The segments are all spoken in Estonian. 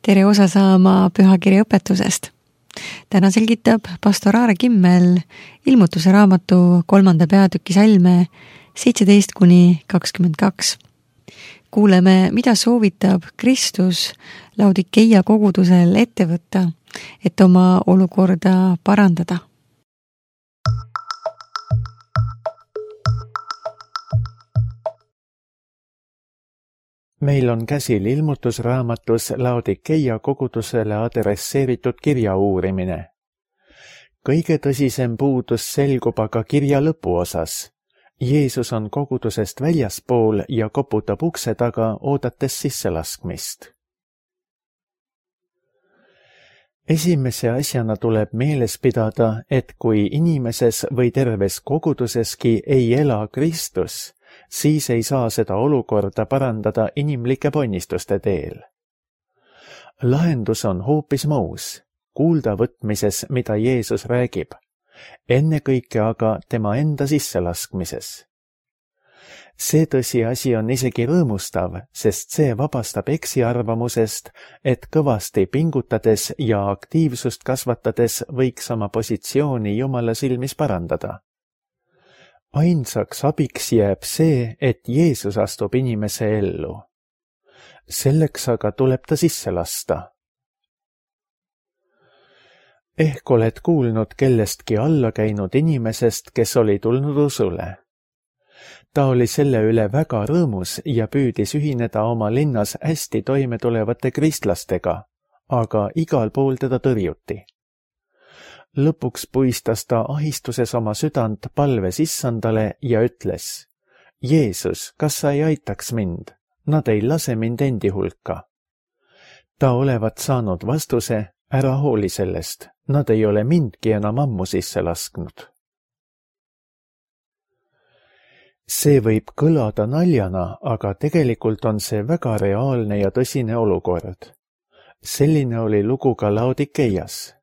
tere osa saama pühakirja õpetusest. Täna selgitab pastor Aare Kimmel ilmutuse raamatu 3. peatüki salme 17-22. Kuuleme, mida soovitab Kristus Laodikeia kogudusel ette võtta, et oma olukorda parandada. Meil on käsil ilmutusraamatus Laodikeia kogudusele adresseeritud kirja uurimine. Kõige tõsisem puudus selgub aga kirja lõpuosas. Jeesus on kogudusest väljaspool ja koputab ukse taga, oodates sisselaskmist. Esimese asjana tuleb meeles pidada, et kui inimeses või terves koguduseski ei ela Kristus, siis ei saa seda olukorda parandada inimlike ponnistuste teel. Lahendus on hoopis muus, kuulda võtmises, mida Jeesus räägib, ennekõike aga tema enda sisselaskmises. See tõsiasi on isegi rõõmustav, sest see vabastab eksiarvamusest, et kõvasti pingutades ja aktiivsust kasvatades võiks oma positsiooni Jumala silmis parandada. Ainsaks abiks jääb see, et Jeesus astub inimese ellu. Selleks aga tuleb ta sisse lasta. Ehk oled kuulnud kellestki alla käinud inimesest, kes oli tulnud usule. Ta oli selle üle väga rõõmus ja püüdis ühineda oma linnas hästi toime tulevate kristlastega, aga igal pool teda tõrjuti. Lõpuks puistas ta ahistuses oma südant palves issandale ja ütles: Jeesus, kas sa ei aitaks mind? Nad ei lase mind endi hulka. Ta olevat saanud vastuse: ära hooli sellest, nad ei ole mindki enam ammu sisse lasknud. See võib kõlada naljana, aga tegelikult on see väga reaalne ja tõsine olukord. Selline oli lugu ka Laodikeias.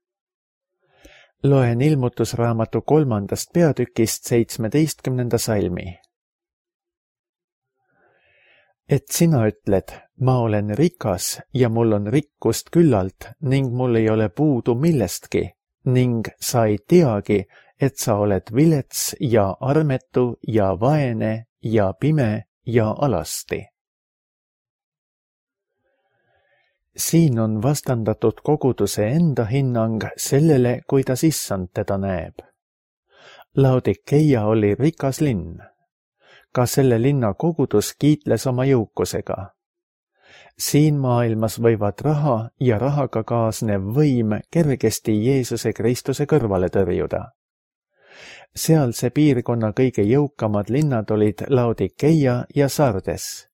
Loen ilmutusraamatu 3. peatükist 17. salmi. Et sina ütled, ma olen rikas ja mul on rikkust küllalt ning mul ei ole puudu millestki ning sa ei teagi, et sa oled vilets ja armetu ja vaene ja pime ja alasti. Siin on vastandatud koguduse enda hinnang sellele, kuidas issand teda näeb. Laodikeia oli rikas linn. Ka selle linna kogudus kiitles oma jõukusega. Siin maailmas võivad raha ja rahaga kaasnev võim kergesti Jeesuse Kristuse kõrvale tõrjuda. Sealse piirkonna kõige jõukamad linnad olid Laodikeia ja Sardes.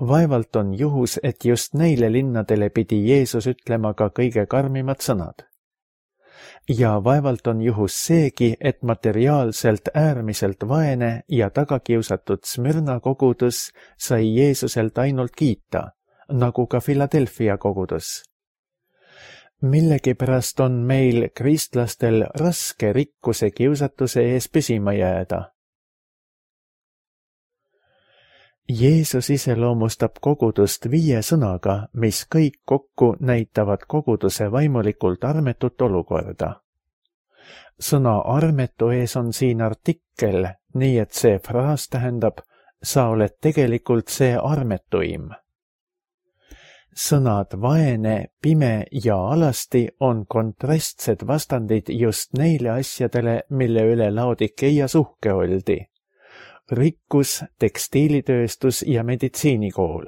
Vaevalt on juhus, et just neile linnadele pidi Jeesus ütlema ka kõige karmimad sõnad. Ja vaevalt on juhus seegi, et materiaalselt äärmiselt vaene ja tagakiusatud Smyrna kogudus sai Jeesuselt ainult kiita, nagu ka Philadelphia kogudus. Millegipärast on meil kristlastel raske rikkuse kiusatuse ees püsima jääda. Jeesus iseloomustab kogudust 5 sõnaga, mis kõik kokku näitavad koguduse vaimulikult armetut olukorda. Sõna armetu ees on siin artikkel, nii et see fraas tähendab, sa oled tegelikult see armetuim. Sõnad vaene, pime ja alasti on kontrastsed vastandid just neile asjadele, mille üle Laodikeias uhke oldi. Rikkus, tekstiilitööstus ja meditsiinikool.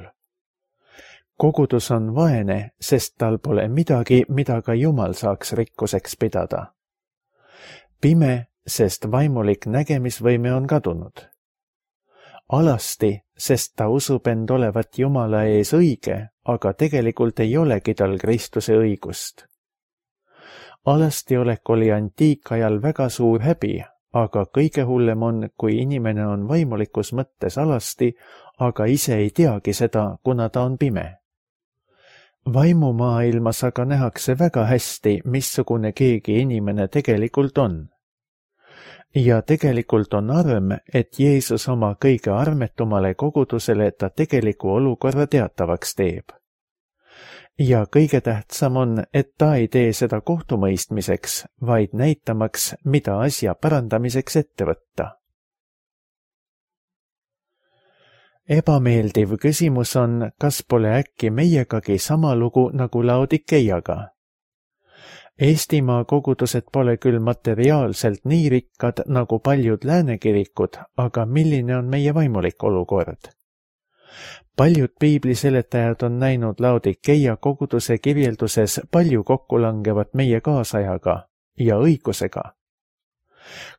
Kogudus on vaene, sest tal pole midagi, mida ka Jumal saaks rikkuseks pidada. Pime, sest vaimulik nägemisvõime on kadunud. Alasti, sest ta usub end olevat Jumala ees õige, aga tegelikult ei olegi tal Kristuse õigust. Alastiolek oli antiikajal väga suur häbi, aga kõige hullem on, kui inimene on vaimulikus mõttes alasti, aga ise ei teagi seda, kuna ta on pime. Vaimumaailmas aga nähakse väga hästi, missugune keegi inimene tegelikult on. Ja tegelikult on arm, et Jeesus oma kõige armetumale kogudusele ta tegeliku olukorra teatavaks teeb. ja kõige tähtsam on, et ta ei tee seda kohtumõistmiseks, vaid näitamaks, mida asja parandamiseks ette võtta. Ebameeldiv küsimus on, kas pole äkki meiegagi sama lugu nagu Laodikeiaga. Eestimaa kogudused pole küll materiaalselt nii rikkad nagu paljud lääne kirikud, aga milline on meie vaimulik olukord? Paljud piibliseletajad on näinud Laodikeia koguduse kirjelduses palju kokkulangevat meie kaasajaga ja õigusega.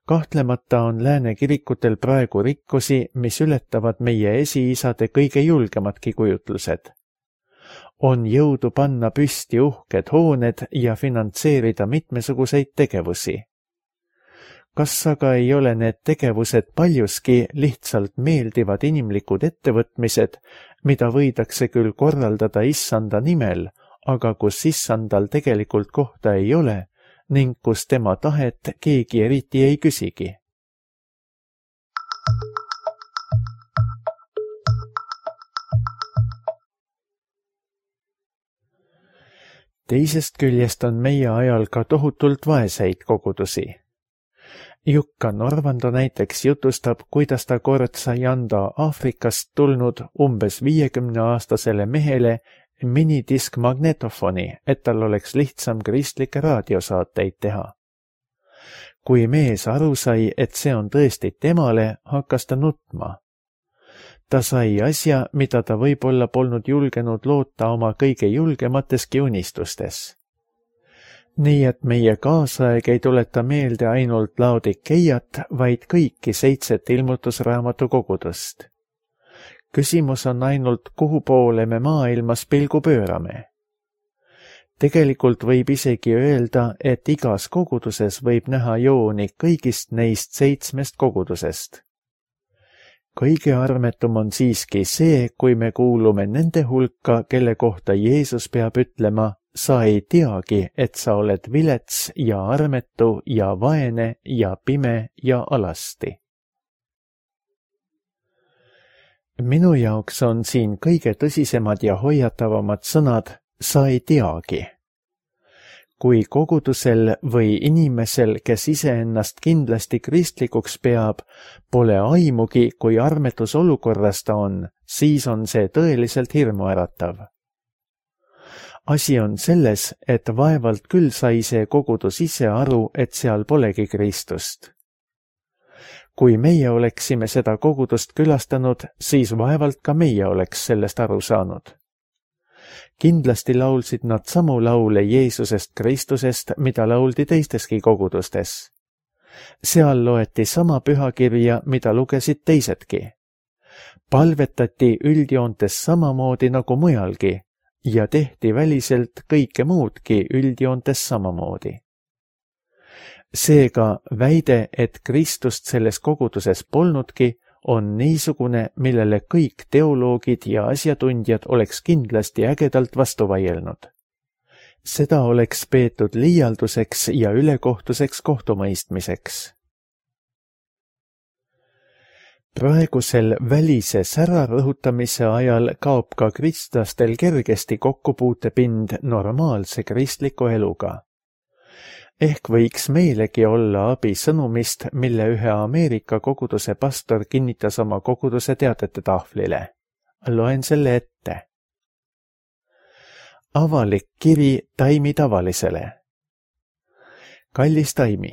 Kahtlemata on lääne kirikutel praegu rikkusi, mis ületavad meie esiisade kõige julgemadki kujutlused. On jõudu panna püsti uhked hooned ja finantseerida mitmesuguseid tegevusi. Kas aga ei ole need tegevused paljuski lihtsalt meeldivad inimlikud ettevõtmised, mida võidakse küll korraldada issanda nimel, aga kus issandal tegelikult kohta ei ole ning kus tema tahet keegi eriti ei küsigi? Teisest küljest on meie ajal ka tohutult vaeseid kogudusi. Jukka Norvando näiteks jutustab, kuidas ta kord sai anda Aafrikast tulnud umbes 50-aastasele mehele minidiskmagnetofoni, et tal oleks lihtsam kristlikke raadiosaateid teha. Kui mees aru sai, et see on tõesti temale, hakkas ta nutma. Ta sai asja, mida ta võib-olla polnud julgenud loota oma kõige julgemateski unistustes. Nii et meie kaasaeg ei tuleta meelde ainult Laodikeiat, vaid kõiki 7 ilmutusraamatu kogudust. Küsimus on ainult, kuhu poole me maailmas pilgu pöörame. Tegelikult võib isegi öelda, et igas koguduses võib näha jooni kõigist neist 7 kogudusest. Kõige armetum on siiski see, kui me kuulume nende hulka, kelle kohta Jeesus peab ütlema, sa ei teagi, et sa oled vilets ja armetu ja vaene ja pime ja alasti. Minu jaoks on siin kõige tõsisemad ja hoiatavamad sõnad, sa ei teagi. Kui kogudusel või inimesel, kes iseennast kindlasti kristlikuks peab, pole aimugi, kui armetus olukorras ta on, siis on see tõeliselt hirmuäratav. Asi on selles, et vaevalt küll sai see kogudus ise aru, et seal polegi Kristust. Kui meie oleksime seda kogudust külastanud, siis vaevalt ka meie oleks sellest aru saanud. Kindlasti laulsid nad samu laule Jeesusest Kristusest, mida lauldi teisteski kogudustes. Seal loeti sama pühakirja, mida lugesid teisedki. Palvetati üldjoontes samamoodi nagu mujalgi ja tehti väliselt kõike muudki üldjoontes samamoodi. Seega väide, et Kristust selles koguduses polnudki, on niisugune, millele kõik teoloogid ja asjatundjad oleks kindlasti ägedalt vastu vaielnud. Seda oleks peetud liialduseks ja ülekohtuseks kohtumõistmiseks. Praegusel välise sära rõhutamise ajal kaob ka kristlastel kergesti kokkupuutepind normaalse kristliku eluga. Ehk võiks meilegi olla abi sõnumist, mille ühe Ameerika koguduse pastor kinnitas oma koguduse teadete tahvlile. Loen selle ette. Avalik kiri Taimi tavalisele. Kallis Taimi,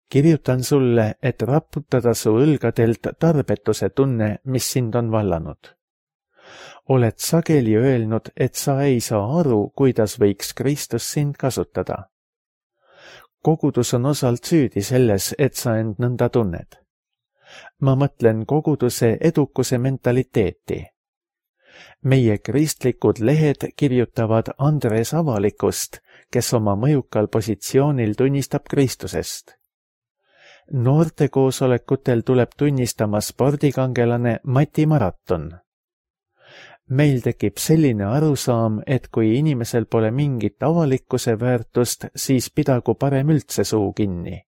kirjutan sulle, et raputada su õlgadelt tarbetuse tunne, mis sind on vallanud. Oled sageli öelnud, et sa ei saa aru, kuidas võiks Kristus sind kasutada. Kogudus on osalt süüdi selles, et sa end nõnda tunned. Ma mõtlen koguduse edukuse mentaliteeti. Meie kristlikud lehed kirjutavad Andres Avalikust, kes oma mõjukal positsioonil tunnistab Kristusest. Noortekoosolekutel tuleb tunnistama spordikangelane Mati Maraton. Meil tekib selline arusaam, et kui inimesel pole mingit avalikkuse väärtust, siis pidagu parem üldse suu kinni.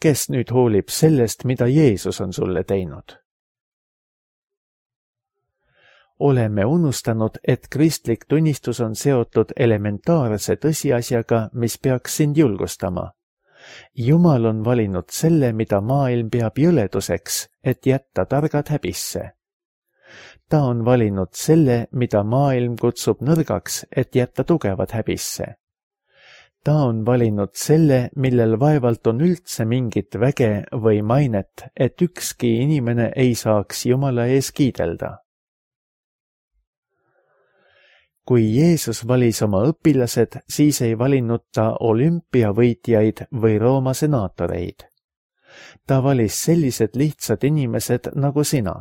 Kes nüüd hoolib sellest, mida Jeesus on sulle teinud? oleme unustanud, et kristlik tunnistus on seotud elementaarse tõsiasjaga, mis peaks sind julgustama. Jumal on valinud selle, mida maailm peab jõleduseks, et jätta targad häbisse. Ta on valinud selle, mida maailm kutsub nõrgaks, et jätta tugevad häbisse. Ta on valinud selle, millel vaevalt on üldse mingit väge või mainet, et ükski inimene ei saaks Jumala ees kiidelda. Kui Jeesus valis oma õpilased, siis ei valinud ta olümpiavõitjaid või Rooma senaatoreid. Ta valis sellised lihtsad inimesed nagu sina.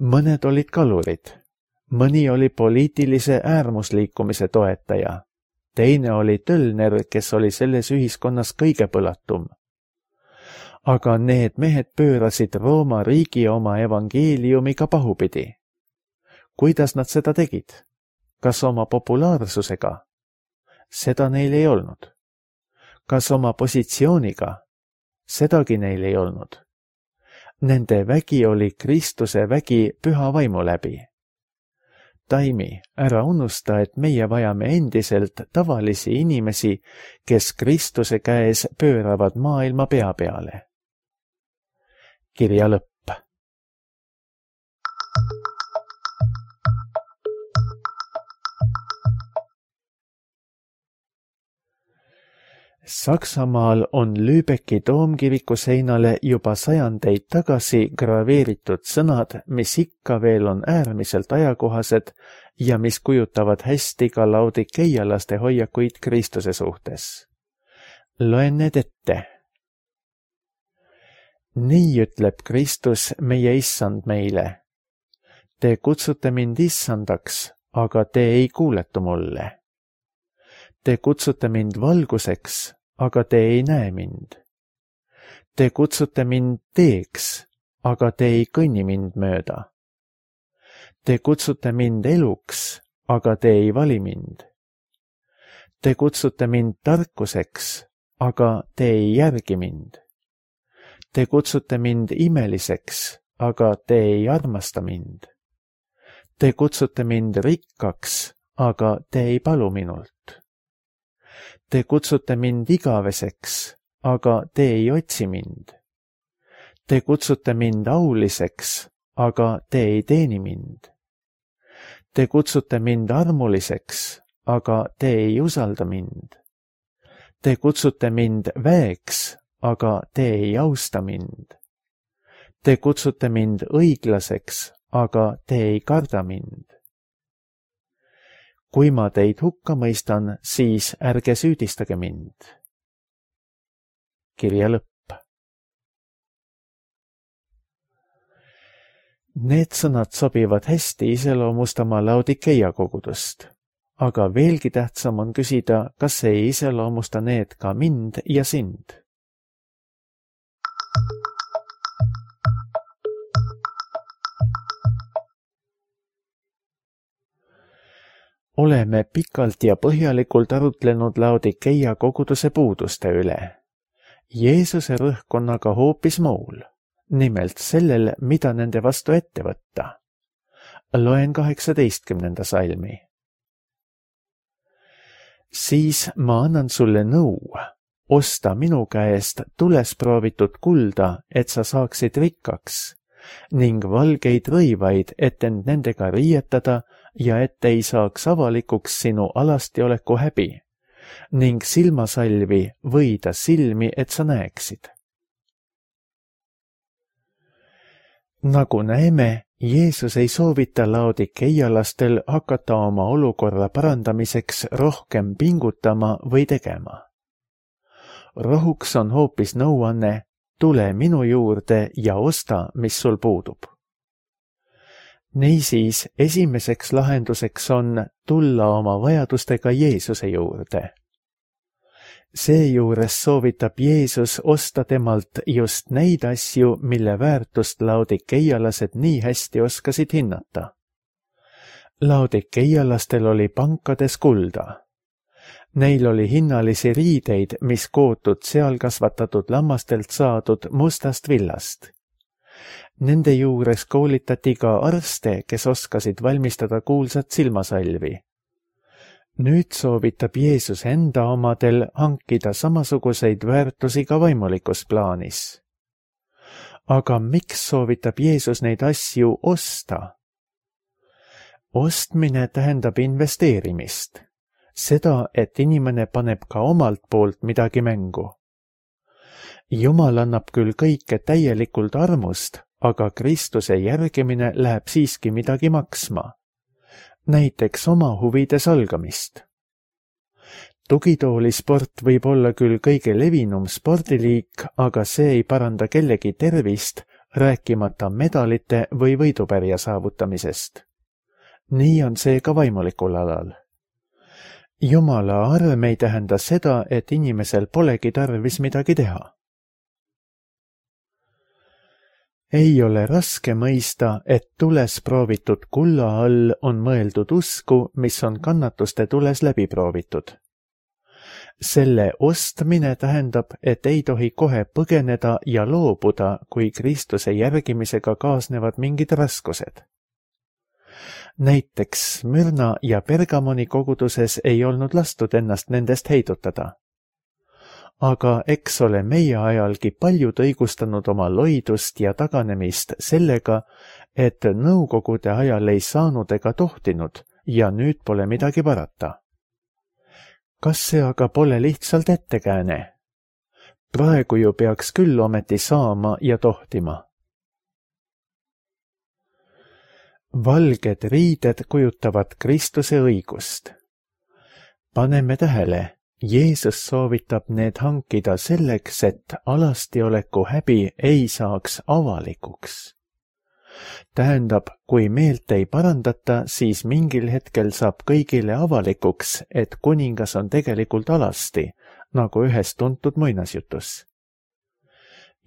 Mõned olid kalurid, mõni oli poliitilise äärmusliikumise toetaja, teine oli tölner, kes oli selles ühiskonnas kõige põlatum. Aga need mehed pöörasid Rooma riigi oma evangeeliumiga pahupidi. Kuidas nad seda tegid? Kas oma populaarsusega? Seda neil ei olnud. Kas oma positsiooniga? Sedagi neil ei olnud. Nende vägi oli Kristuse vägi püha vaimu läbi. Taimi, ära unusta, et meie vajame endiselt tavalisi inimesi, kes Kristuse käes pööravad maailma pea peale. Kirja lõpp. Saksamaal on Lübecki toomkiriku seinale juba sajandeid tagasi graveeritud sõnad, mis ikka veel on äärmiselt ajakohased ja mis kujutavad hästi ka laodikeialaste hoiakuid Kristuse suhtes. Loen need ette. Nii ütleb Kristus, meie issand meile. Te kutsute mind issandaks, aga te ei kuuletu mulle. Te kutsute mind valguseks, aga te ei näe mind. Te kutsute mind teeks, aga te ei kõnni mind mööda. Te kutsute mind eluks, aga te ei vali mind. Te kutsute mind tarkuseks, aga te ei järgi mind. Te kutsute mind imeliseks, aga te ei armasta mind. Te kutsute mind rikkaks, aga te ei palu minult. Te kutsute mind igaveseks, aga te ei otsi mind. Te kutsute mind auliseks, aga te ei teeni mind. Te kutsute mind armuliseks, aga te ei usalda mind. Te kutsute mind väeks, aga te ei austa mind. Te kutsute mind õiglaseks, aga te ei karda mind. Kui ma teid hukka mõistan, siis ärge süüdistage mind. Kirja lõpp. Need sõnad sobivad hästi iseloomustama Laodikeia kogudust, aga veelgi tähtsam on küsida, kas ei iseloomusta need ka mind ja sind. Oleme pikalt ja põhjalikult arutlenud Laodikeia koguduse puuduste üle. Jeesuse rõhk on aga hoopis muul, nimelt sellel, mida nende vastu ette võtta. Loen 18. salmi. Siis ma annan sulle nõu, osta minu käest tules proovitud kulda, et sa saaksid rikkaks, ning valgeid rõivaid, et end nendega riietada ja et ei saaks avalikuks sinu alastioleku häbi, ning silmasalvi võida silmi, et sa näeksid. Nagu näeme, Jeesus ei soovita laodikeialastel hakata oma olukorra parandamiseks rohkem pingutama või tegema. Rohuks on hoopis nõuanne, tule minu juurde ja osta, mis sul puudub. Niisiis, esimeseks lahenduseks on tulla oma vajadustega Jeesuse juurde. Seejuures soovitab Jeesus osta temalt just neid asju, mille väärtust laodikeialased nii hästi oskasid hinnata. Laodikeialastel oli pankades kulda. Neil oli hinnalisi riideid, mis kootud seal kasvatatud lammastelt saadud mustast villast. Nende juures koolitati ka arste, kes oskasid valmistada kuulsat silmasalvi. Nüüd soovitab Jeesus enda omadel hankida samasuguseid väärtusi ka vaimulikus plaanis. Aga miks soovitab Jeesus neid asju osta? Ostmine tähendab investeerimist. Seda, et inimene paneb ka omalt poolt midagi mängu. Jumal annab küll kõike täielikult armust, aga Kristuse järgimine läheb siiski midagi maksma. Näiteks oma huvide salgamist. Tugitoolisport võib olla küll kõige levinum spordiliik, aga see ei paranda kellegi tervist, rääkimata medalite või võidupärja saavutamisest. Nii on see ka vaimulikul alal. Jumala arm ei tähenda seda, et inimesel polegi tarvis midagi teha. Ei ole raske mõista, et tules proovitud kulla all on mõeldud usku, mis on kannatuste tules läbi proovitud. Selle ostmine tähendab, et ei tohi kohe põgeneda ja loobuda, kui Kristuse järgimisega kaasnevad mingid raskused. Näiteks Mürna ja Pergamoni koguduses ei olnud lastud ennast nendest heidutada. Aga eks ole meie ajalgi paljud õigustanud oma loidust ja taganemist sellega, et nõukogude ajal ei saanud ega tohtinud ja nüüd pole midagi parata. Kas see aga pole lihtsalt ettekääne? Praegu ju peaks küll ometi saama ja tohtima. Valged riided kujutavad Kristuse õigust. Paneme tähele, Jeesus soovitab need hankida selleks, et alastioleku häbi ei saaks avalikuks. Tähendab, kui meelt ei parandata, siis mingil hetkel saab kõigile avalikuks, et kuningas on tegelikult alasti, nagu ühes tuntud muinasjutus.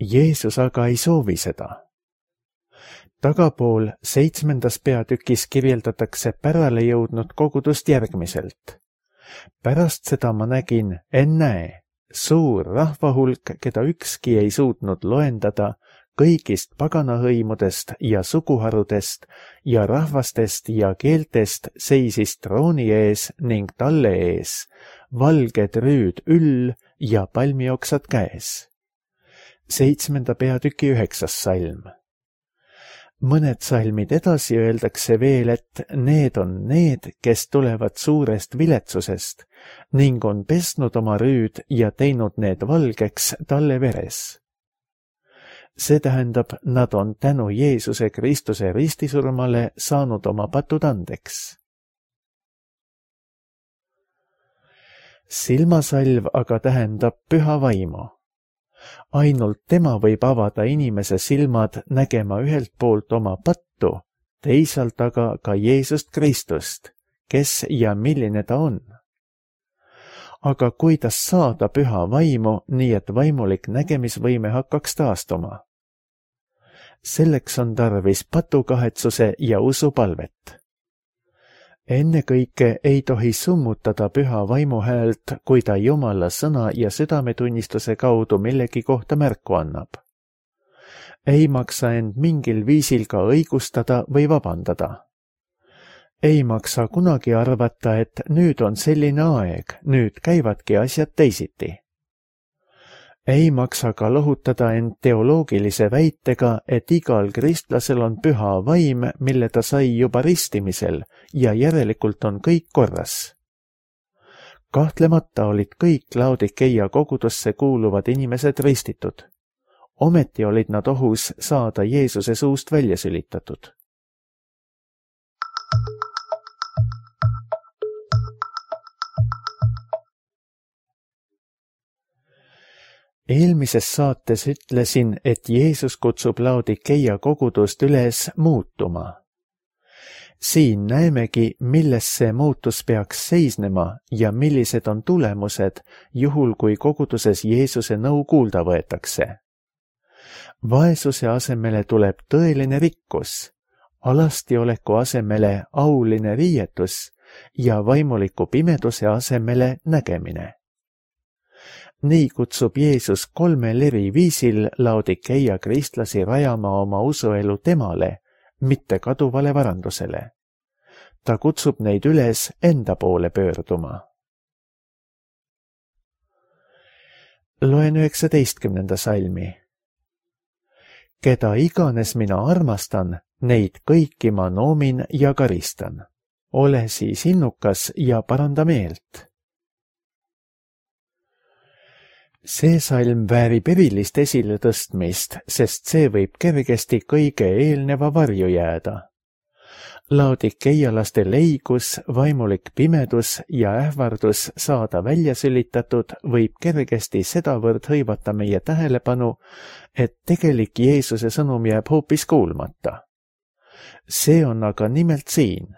Jeesus aga ei soovi seda. Tagapool 7. peatükis kirjeldatakse pärale jõudnud kogudust järgmiselt. Pärast seda ma nägin, ennäe, suur rahvahulk, keda ükski ei suutnud loendada, kõigist paganahõimudest ja suguharudest ja rahvastest ja keeltest seisis trooni ees ning talle ees, valged rüüd üll ja palmioksad käes. 7. peatüki 9. salm. Mõned salmid edasi öeldakse veel, et need on need, kes tulevad suurest viletsusest ning on pesnud oma rüüd ja teinud need valgeks talle veres. See tähendab, nad on tänu Jeesuse Kristuse ristisurmale saanud oma patud andeks. Silmasalv aga tähendab püha vaimu. Ainult tema võib avada inimese silmad nägema ühelt poolt oma pattu, teisalt aga ka Jeesust Kristust, kes ja milline ta on. Aga kuidas saada püha vaimu, nii et vaimulik nägemisvõime hakkaks taastuma? Selleks on tarvis patukahetsuse ja usupalvet. Ennekõike ei tohi summutada püha vaimu häält, kui ta Jumala sõna ja südametunnistuse kaudu millegi kohta märku annab. Ei maksa end mingil viisil ka õigustada või vabandada. Ei maksa kunagi arvata, et nüüd on selline aeg, nüüd käivadki asjad teisiti. Ei maksa ka lohutada end teoloogilise väitega, et igal kristlasel on püha vaim, mille ta sai juba ristimisel ja järelikult on kõik korras. Kahtlemata olid kõik Laodikeia kogudusse kuuluvad inimesed ristitud. Ometi olid nad ohus saada Jeesuse suust välja sülitatud. Eelmises saates ütlesin, et Jeesus kutsub Laodikeia kogudust üles muutuma. Siin näemegi, milles see muutus peaks seisnema ja millised on tulemused, juhul kui koguduses Jeesuse nõu kuulda võetakse. Vaesuse asemele tuleb tõeline rikkus, alastioleku asemele auline riietus ja vaimuliku pimeduse asemele nägemine. Nii kutsub Jeesus 3 eri viisil Laodikeia kristlasi rajama oma usuelu temale, mitte kaduvale varandusele. Ta kutsub neid üles enda poole pöörduma. Loen 19. salmi. Keda iganes mina armastan, neid kõiki ma noomin ja karistan. Ole siis innukas ja paranda meelt. See salm väärib erilist esiletõstmist, sest see võib kergesti kõige eelneva varju jääda. Laodikeialaste leigus, vaimulik pimedus ja ähvardus saada välja sülitatud võib kergesti sedavõrd hõivata meie tähelepanu, et tegelik Jeesuse sõnum jääb hoopis kuulmata. See on aga nimelt siin.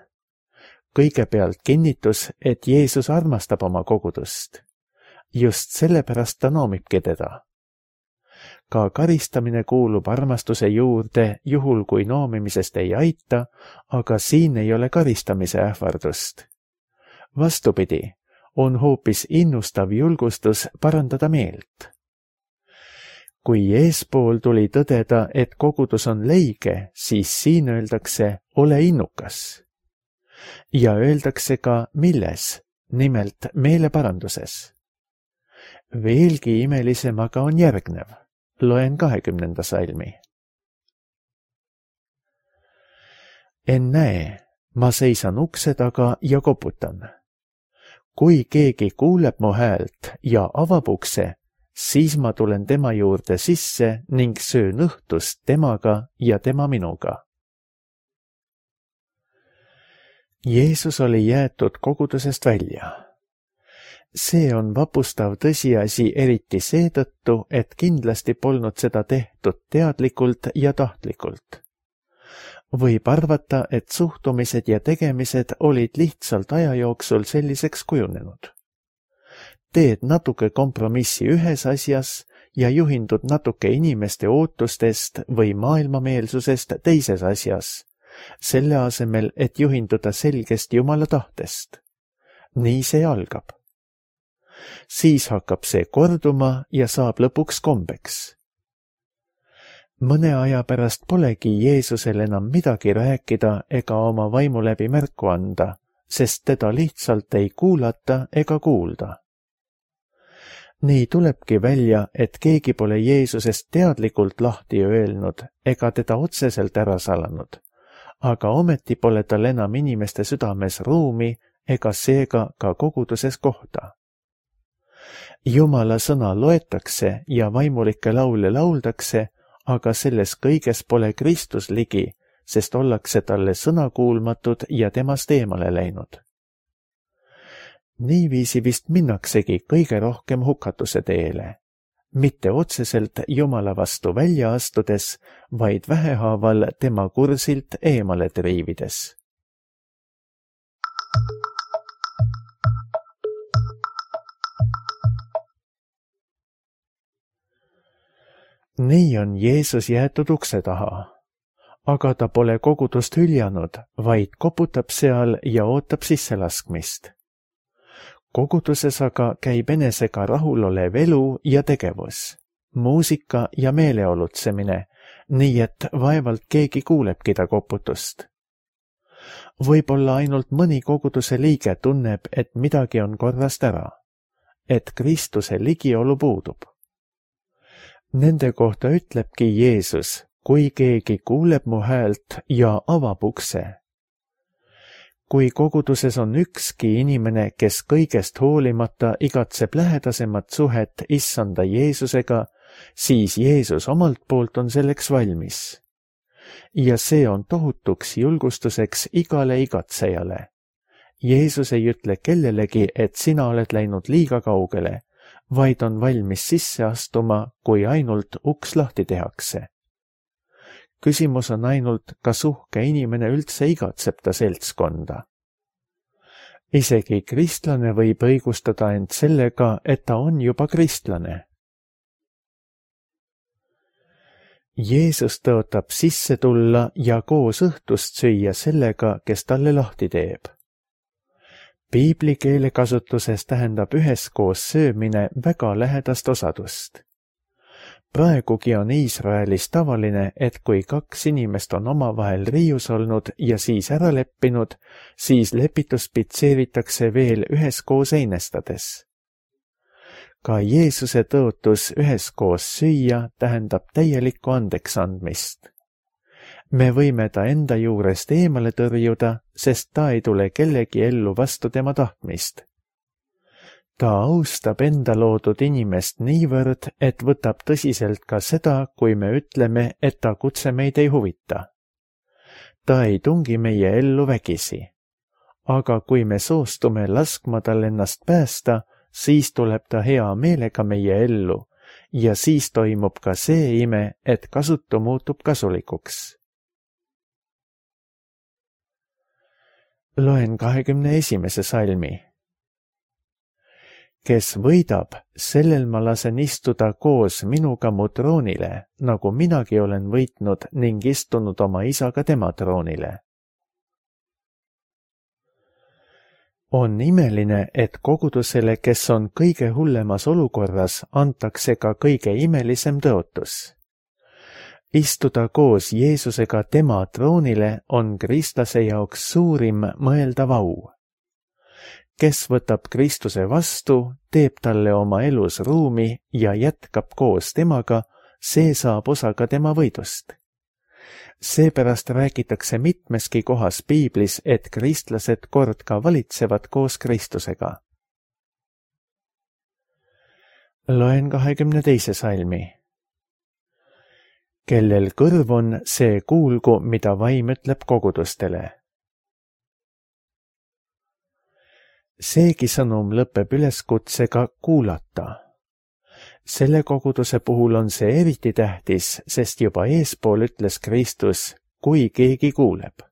Kõigepealt kinnitus, et Jeesus armastab oma kogudust. Just sellepärast ta noomibki teda. Ka karistamine kuulub armastuse juurde, juhul kui noomimisest ei aita, aga siin ei ole karistamise ähvardust. Vastupidi, on hoopis innustav julgustus parandada meelt. Kui eespool tuli tõdeda, et kogudus on leige, siis siin öeldakse, ole innukas. Ja öeldakse ka milles, nimelt meeleparanduses. Veelgi imelisem aga on järgnev. Loen 20. salmi. Ennäe, ma seisan ukse taga ja koputan. Kui keegi kuuleb mu häält ja avab ukse, siis ma tulen tema juurde sisse ning söön õhtust temaga ja tema minuga. Jeesus oli jäetud kogudusest välja. See on vapustav tõsiasi eriti seetõttu, et kindlasti polnud seda tehtud teadlikult ja tahtlikult. Võib arvata, et suhtumised ja tegemised olid lihtsalt aja jooksul selliseks kujunenud. Teed natuke kompromissi ühes asjas ja juhindud natuke inimeste ootustest või maailmameelsusest teises asjas, selle asemel, et juhinduda selgest Jumala tahtest. Nii see algab. Siis hakkab see korduma ja saab lõpuks kombeks. Mõne aja pärast polegi Jeesusel enam midagi rääkida ega oma vaimu läbi märku anda, sest teda lihtsalt ei kuulata ega kuulda. Nii tulebki välja, et keegi pole Jeesusest teadlikult lahti öelnud ega teda otseselt ära salanud, aga ometi pole tal enam inimeste südames ruumi ega seega ka koguduses kohta. Jumala sõna loetakse ja vaimulikke laule lauldakse, aga selles kõiges pole Kristus ligi, sest ollakse talle sõnakuulmatud ja temast eemale läinud. Niiviisi vist minnaksegi kõige rohkem hukatuse teele, mitte otseselt Jumala vastu välja astudes, vaid vähehaaval tema kursilt eemale triivides. Nii on Jeesus jäetud ukse taha, aga ta pole kogudust hüljanud, vaid koputab seal ja ootab sisselaskmist. Koguduses aga käib enesega rahulolev elu ja tegevus, muusika ja meeleolutsemine, nii et vaevalt keegi kuulebki ta koputust. Võib-olla ainult mõni koguduse liige tunneb, et midagi on korrast ära, et Kristuse ligiolu puudub. Nende kohta ütlebki Jeesus, kui keegi kuuleb mu häält ja avab ukse. Kui koguduses on ükski inimene, kes kõigest hoolimata igatseb lähedasemat suhet issanda Jeesusega, siis Jeesus omalt poolt on selleks valmis. Ja see on tohutuks julgustuseks igale igatsejale. Jeesus ei ütle kellelegi, et sina oled läinud liiga kaugele, vaid on valmis sisse astuma, kui ainult uks lahti tehakse. Küsimus on ainult, kas uhke inimene üldse igatseb ta seltskonda. Isegi kristlane võib õigustada end sellega, et ta on juba kristlane. Jeesus tõotab sisse tulla ja koos õhtust süüa sellega, kes talle lahti teeb. Piibli keelekasutuses tähendab üheskoos söömine väga lähedast osadust. Praegugi on Iisraelis tavaline, et kui 2 inimest on omavahel riius olnud ja siis ära leppinud, siis lepitus pitseeritakse veel üheskoos einestades. Ka Jeesuse tõotus üheskoos süüa tähendab täielikku andeksandmist. Me võime ta enda juurest eemale tõrjuda, sest ta ei tule kellegi ellu vastu tema tahtmist. Ta austab enda loodud inimest niivõrd, et võtab tõsiselt ka seda, kui me ütleme, et ta kutse meid ei huvita. Ta ei tungi meie ellu vägisi. Aga kui me soostume laskma tal ennast päästa, siis tuleb ta hea meelega meie ellu ja siis toimub ka see ime, et kasutu muutub kasulikuks. Loen 21. salmi. Kes võidab, sellel ma lasen istuda koos minuga mu troonile, nagu minagi olen võitnud ning istunud oma isaga tema troonile. On imeline, et kogudusele, kes on kõige hullemas olukorras, antakse ka kõige imelisem tõotus. Istuda koos Jeesusega tema troonile on kristlase jaoks suurim mõeldav au. Kes võtab Kristuse vastu, teeb talle oma elus ruumi ja jätkab koos temaga, see saab osa ka tema võidust. Seepärast räägitakse mitmeski kohas Piiblis, et kristlased kord ka valitsevad koos Kristusega. Loen 22. salmi. Kellel kõrv on, see kuulgu, mida vaim ütleb kogudustele. Seegi sõnum lõpeb üleskutsega kuulata. Selle koguduse puhul on see eriti tähtis, sest juba eespool ütles Kristus, kui keegi kuuleb.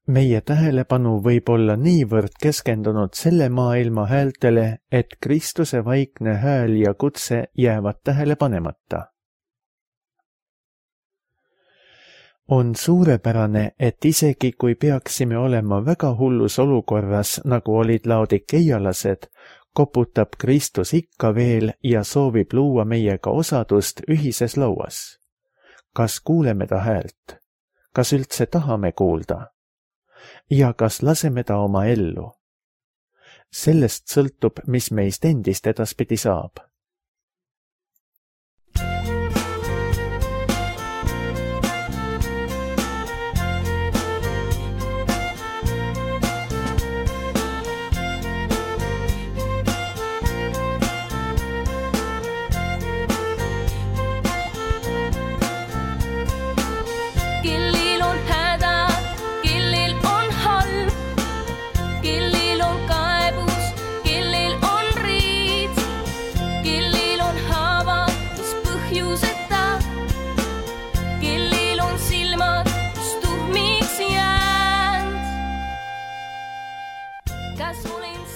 Meie tähelepanu võib olla niivõrd keskendunud selle maailma häältele, et Kristuse vaikne hääl ja kutse jäävad tähele panemata. On suurepärane, et isegi kui peaksime olema väga hullus olukorras, nagu olid laodikeialased, koputab Kristus ikka veel ja soovib luua meiega osadust ühises lauas. Kas kuuleme ta häält? Kas üldse tahame kuulda? Ja kas laseme ta oma ellu? Sellest sõltub, mis meist endist edaspidi saab.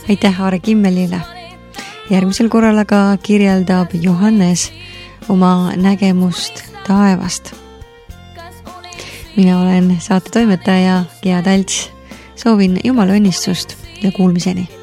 Aitäh Aare Kimmelile. Järgmisel korral aga kirjeldab Johannes oma nägemust taevast. Mina olen saate toimetaja Gea Talts. Soovin Jumala õnnistust ja kuulmiseni.